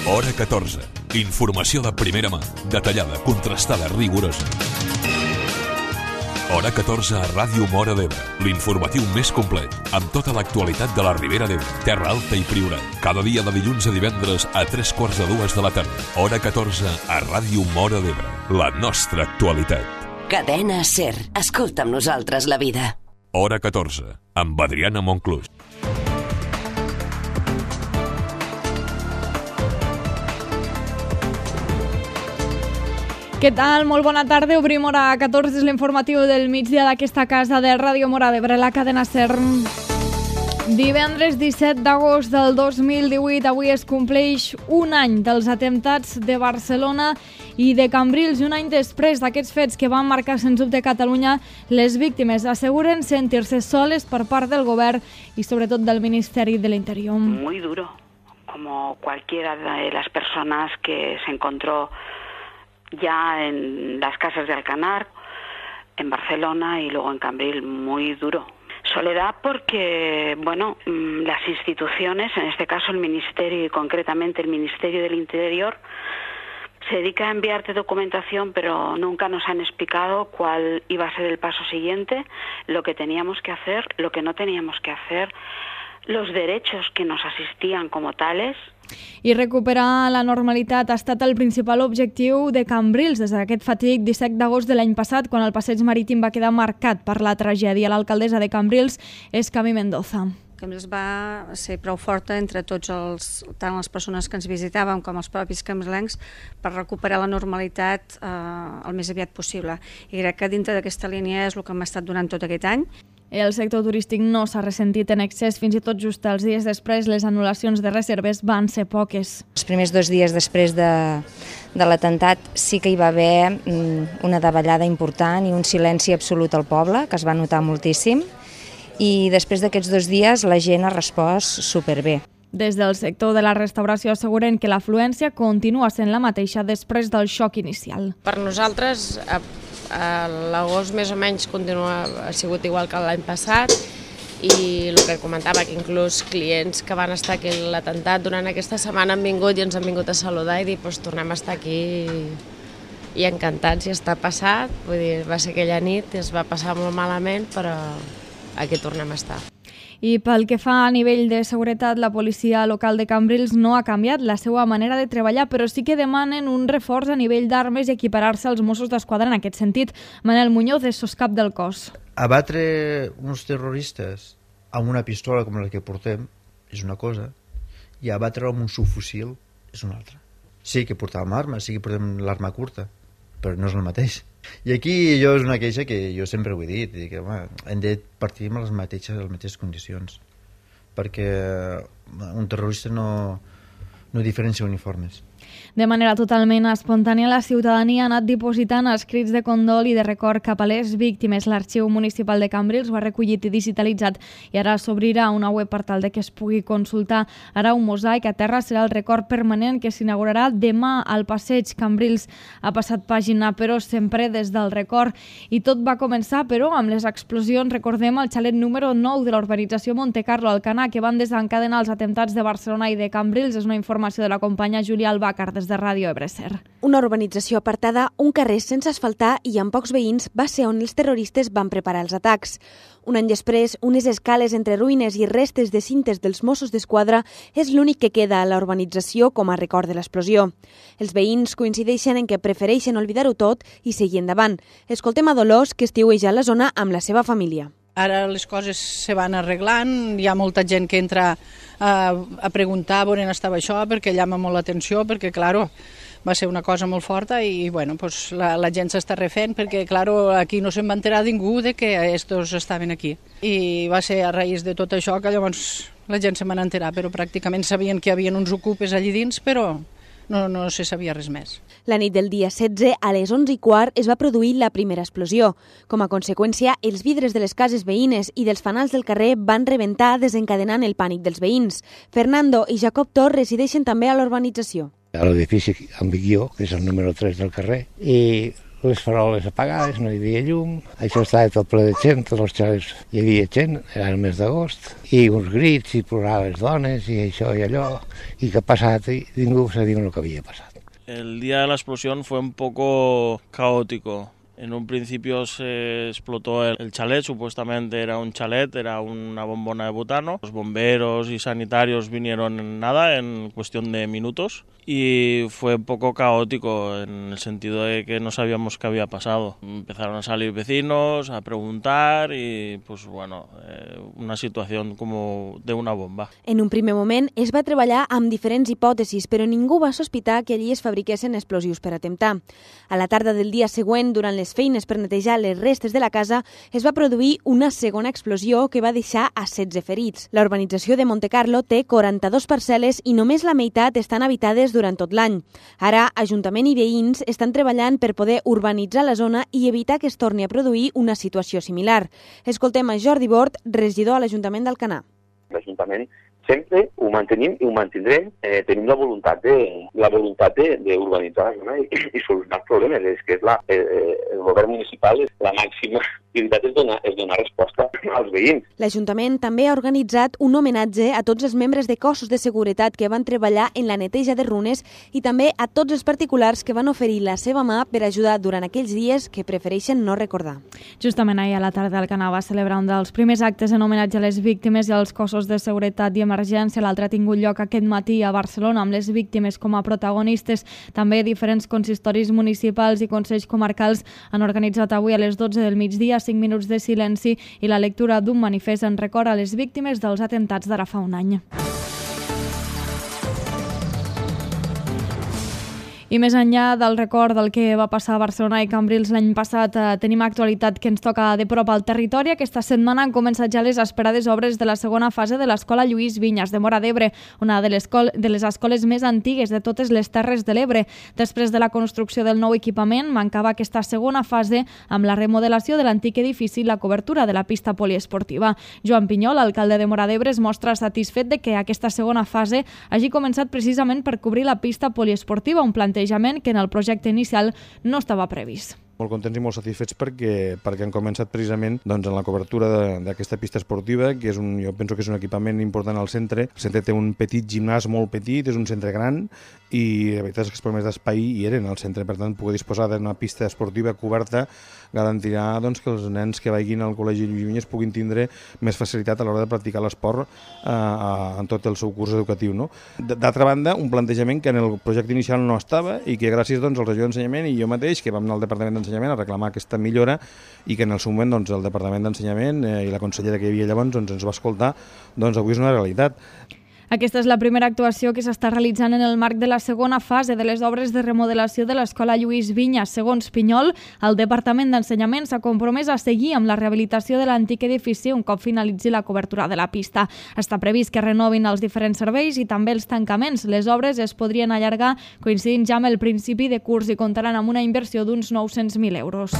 Hora 14. Informació de primera mà, detallada, contrastada, rigorosa. Hora 14 a Ràdio Móra d'Ebre, l'informatiu més complet, amb tota l'actualitat de la Ribera d'Ebre, Terra Alta i Priorat. Cada dia de dilluns a divendres a 3:45 de la tarda. Hora 14 a Ràdio Móra d'Ebre, la nostra actualitat. Cadena SER. Escolta amb nosaltres la vida. Hora 14, amb Adriana Monclús. Què tal? Molt bona tarda. Obrim Hora 14, és l'informatiu del migdia d'aquesta casa de Ràdio Móra d'Ebre, la cadena SER. Divendres 17 d'agost del 2018, avui es compleix un any dels atemptats de Barcelona i de Cambrils, i un any després d'aquests fets que van marcar sens dubte Catalunya, les víctimes asseguren sentir-se soles per part del govern i sobretot del Ministeri de l'Interior. Muy duro, como cualquiera de las personas que se encontró ya en las casas de Alcanar, en Barcelona y luego en Cambrils, muy duro. Soledad porque, bueno, las instituciones, en este caso el Ministerio y concretamente el Ministerio del Interior, se dedica a enviarte documentación, pero nunca nos han explicado cuál iba a ser el paso siguiente, lo que teníamos que hacer, lo que no teníamos que hacer, los derechos que nos asistían como tales. I recuperar la normalitat ha estat el principal objectiu de Cambrils des d'aquest fatídic 17 d'agost de l'any passat, quan el passeig marítim va quedar marcat per la tragèdia. L'alcaldessa de Cambrils és Cami Mendoza. Cambrils va ser prou forta entre tots tant les persones que ens visitàvem com els propis cambrilencs per recuperar la normalitat el més aviat possible. I crec que dintre d'aquesta línia és el que hem estat donant tot aquest any. El sector turístic no s'ha ressentit en excés, fins i tot just els dies després les anul·lacions de reserves van ser poques. Els primers 2 dies després de l'atemptat sí que hi va haver una davallada important i un silenci absolut al poble, que es va notar moltíssim, i després d'aquests 2 dies la gent ha respost superbé. Des del sector de la restauració asseguren que l'afluència continua sent la mateixa després del xoc inicial. Per nosaltres, l'agost més o menys ha sigut igual que l'any passat, i el que comentava, que inclús clients que van estar aquí a l'atemptat durant aquesta setmana han vingut i ens han vingut a saludar i dir tornem a estar aquí i encantats, i està passat. Vull dir, va ser aquella nit, es va passar molt malament, però aquí tornem a estar. I pel que fa a nivell de seguretat, la policia local de Cambrils no ha canviat la seva manera de treballar, però sí que demanen un reforç a nivell d'armes i equiparar-se als Mossos d'Esquadra en aquest sentit. Manel Muñoz és soscap del cos. Abatre uns terroristes amb una pistola com la que portem és una cosa, i abatre amb un subfusil és una altra. Sí que portàvem armes, sí que portem l'arma curta, però no és el mateix. I aquí és una queixa que jo sempre ho he dit, que hem de partir amb les mateixes condicions, perquè un terrorista no diferencia uniformes. De manera totalment espontània, la ciutadania ha anat dipositant escrits de condol i de record cap a les víctimes. L'Arxiu Municipal de Cambrils ho ha recollit i digitalitzat, i ara s'obrirà una web per tal de que es pugui consultar. Ara un mosaic a terra serà el record permanent que s'inaugurarà demà al passeig. Cambrils ha passat pàgina, però sempre des del record. I tot va començar, però, amb les explosions, recordem, al xalet número 9 de la urbanització Montecarlo Alcanar, que van desencadenar els atemptats de Barcelona i de Cambrils. És una informació de la companya Júlia Albàcar des de Ràdio Ebre SER. Una urbanització apartada, un carrer sense asfaltar i amb pocs veïns va ser on els terroristes van preparar els atacs. Un any després, unes escales entre ruïnes i restes de cintes dels Mossos d'Esquadra és l'únic que queda a la urbanització com a record de l'explosió. Els veïns coincideixen en que prefereixen oblidar-ho tot i seguir endavant. Escoltem a Dolors, que estiueja a la zona amb la seva família. Ara les coses se van arreglant, hi ha molta gent que entra a preguntar on estava això, perquè llama molt l'atenció, perquè, clar, va ser una cosa molt forta i bueno, pues, la gent s'està refent, perquè clar, aquí no se'n va enterar ningú de que estos estaven aquí. I va ser a raïs de tot això que llavors la gent se'n va enterar, però pràcticament sabien que hi havia uns ocupes allí dins, però no se sabia res més. La nit del dia 16, a les 11:15, es va produir la primera explosió. Com a conseqüència, els vidres de les cases veïnes i dels fanals del carrer van rebentar, desencadenant el pànic dels veïns. Fernando i Jacob Tor resideixen també a l'urbanització. A l'edifici Ambiguió, que és el número 3 del carrer, i les faroles apagades, no hi havia llum, això estava tot ple de gent, tots els xalets hi havia gent, era el mes d'agost, i uns grits, i ploraven les dones, i això i allò, i què ha passat, i ningú sabia el que havia passat. El día de la explosión fue un poco caótico. En un principio se explotó el chalet, supuestamente era un chalet, era una bombona de butano. Los bomberos y sanitarios vinieron en cuestión de minutos, y fue un poco caótico en el sentido de que no sabíamos qué había pasado. Empezaron a salir vecinos, a preguntar y pues bueno, una situación como de una bomba. En un primer moment es va treballar amb diferents hipòtesis, però ningú va sospitar que allí es fabriquessin explosius per atemptar. A la tarda del dia següent, durant les feines per netejar les restes de la casa, es va produir una segona explosió que va deixar a 16 ferits. La urbanització de Montecarlo té 42 parcel·les i només la meitat estan habitades durant tot l'any. Ara, Ajuntament i veïns estan treballant per poder urbanitzar la zona i evitar que es torni a produir una situació similar. Escoltem a Jordi Bort, regidor a l'Ajuntament d'Alcanar. L'Ajuntament sempre ho mantenim i ho mantindrem. Tenim la voluntat d'urbanitzar la zona i solucionar els problemes. És que el govern municipal, la màxima prioritat és donar resposta als veïns. L'Ajuntament també ha organitzat un homenatge a tots els membres de cossos de seguretat que van treballar en la neteja de runes i també a tots els particulars que van oferir la seva mà per ajudar durant aquells dies que prefereixen no recordar. Justament ahir a la tarda Alcanar va celebrar un dels primers actes en homenatge a les víctimes i als cossos de seguretat i emergència. L'altre ha tingut lloc aquest matí a Barcelona amb les víctimes com a protagonistes. També diferents consistoris municipals i consells comarcals han organitzat avui a les 12 del migdia 5 minuts de silenci i la lectura d'un manifest en record a les víctimes dels atemptats d'ara fa un any. I més enllà del record del que va passar a Barcelona i Cambrils l'any passat, tenim actualitat que ens toca de prop al territori. Aquesta setmana han començat ja les esperades obres de la segona fase de l'Escola Lluís Vinyes de Móra d'Ebre, una de les escoles més antigues de totes les Terres de l'Ebre. Després de la construcció del nou equipament, mancava aquesta segona fase amb la remodelació de l'antic edifici i la cobertura de la pista poliesportiva. Joan Pinyol, alcalde de Móra d'Ebre, es mostra satisfet de que aquesta segona fase hagi començat precisament per cobrir la pista poliesportiva, un plantejament que en el projecte inicial no estava previst. Molt contents i molt satisfets perquè han començat precisament en la cobertura d'aquesta pista esportiva, que jo penso que és un equipament important al centre. El centre té un petit gimnàs molt petit, és un centre gran i la veritat és que els problemes d'espai hi eren al centre. Per tant, poder disposar d'una pista esportiva coberta garantirà que els nens que vagin al Col·legi Lluís Vinyes puguin tindre més facilitat a l'hora de practicar l'esport en tot el seu curs educatiu. D'altra banda, un plantejament que en el projecte inicial no estava i que gràcies al regidor d'Ensenyament i jo mateix, que vam anar al Departament d'Ensenyament a reclamar aquesta millora i que en el seu moment el Departament d'Ensenyament i la consellera que hi havia llavors ens va escoltar, avui és una realitat. Aquesta és la primera actuació que s'està realitzant en el marc de la segona fase de les obres de remodelació de l'Escola Lluís Vinyes. Segons Pinyol, el Departament d'Ensenyament s'ha compromès a seguir amb la rehabilitació de l'antic edifici un cop finalitzi la cobertura de la pista. Està previst que renovin els diferents serveis i també els tancaments. Les obres es podrien allargar coincidint ja amb el principi de curs i comptaran amb una inversió d'uns 900.000 euros.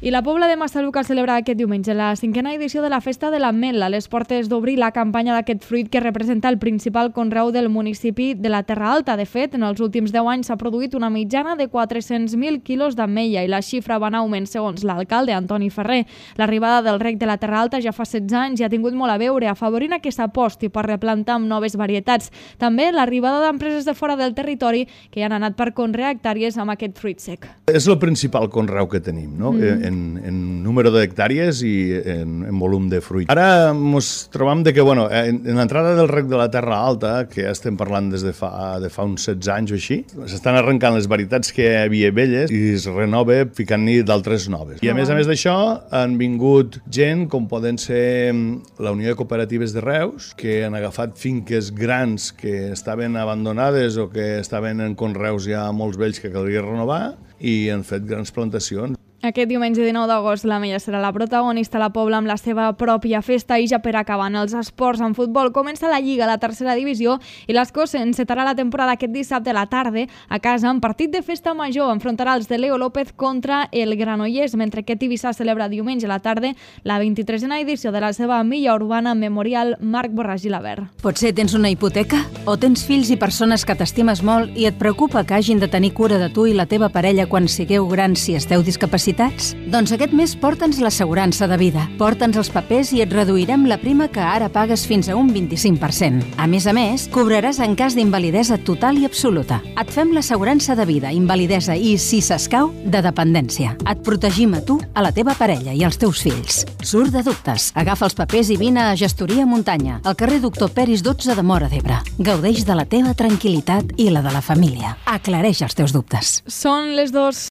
I la Pobla de Massaluca celebra aquest diumenge la 5a edició de la Festa de l'Ametl, a les portes d'obrir la campanya d'aquest fruit que representa el principal conreu del municipi de la Terra Alta. De fet, en els últims 10 anys s'ha produït una mitjana de 400.000 quilos d'ametlla i la xifra va en augment segons l'alcalde Antoni Ferrer. L'arribada del rec de la Terra Alta ja fa 16 anys i ha tingut molt a veure, afavorint que s'aposti per replantar amb noves varietats. També l'arribada d'empreses de fora del territori que han anat per conrear hectàrees amb aquest fruit sec. És el principal conreu que tenim, no? En número d'hectàrees i en volum de fruit. Ara ens trobam que, en l'entrada del rec de la Terra Alta, que ja estem parlant des de fa uns 16 anys o així, s'estan arrencant les varietats que hi havia velles i es renova ficant-hi d'altres noves. I a més d'això han vingut gent com poden ser la Unió de Cooperatives de Reus, que han agafat finques grans que estaven abandonades o que estaven en conreus ja molts vells que caldria renovar i han fet grans plantacions. Aquest diumenge 19 d'agost l'Ametlla serà la protagonista a la Pobla amb la seva pròpia festa, i ja per acabar en els esports en futbol comença la Lliga, la tercera divisió, i l'Escó encetarà la temporada aquest dissabte a la tarda a casa en partit de festa major. Enfrontarà els de Leo López contra el Granollers, mentre que Tivissa celebra diumenge a la tarda la 23a edició de la seva milla urbana Memorial Marc Borràs i Gilabert. Potser tens una hipoteca? O tens fills i persones que t'estimes molt i et preocupa que hagin de tenir cura de tu i la teva parella quan sigueu grans si esteu discapacitats? Doncs aquest mes porta'ns l'assegurança de vida. Porta'ns els papers i et reduirem la prima que ara pagues fins a un 25%. A més, cobraràs en cas d'invalidesa total i absoluta. Et fem l'assegurança de vida, invalidesa i, si s'escau, de dependència. Et protegim a tu, a la teva parella i als teus fills. Surt de dubtes. Agafa els papers i vine a Gestoria Muntanya, al carrer Doctor Peris 12 de Móra d'Ebre. Gaudeix de la teva tranquil·litat i la de la família. Aclareix els teus dubtes. Són les 2.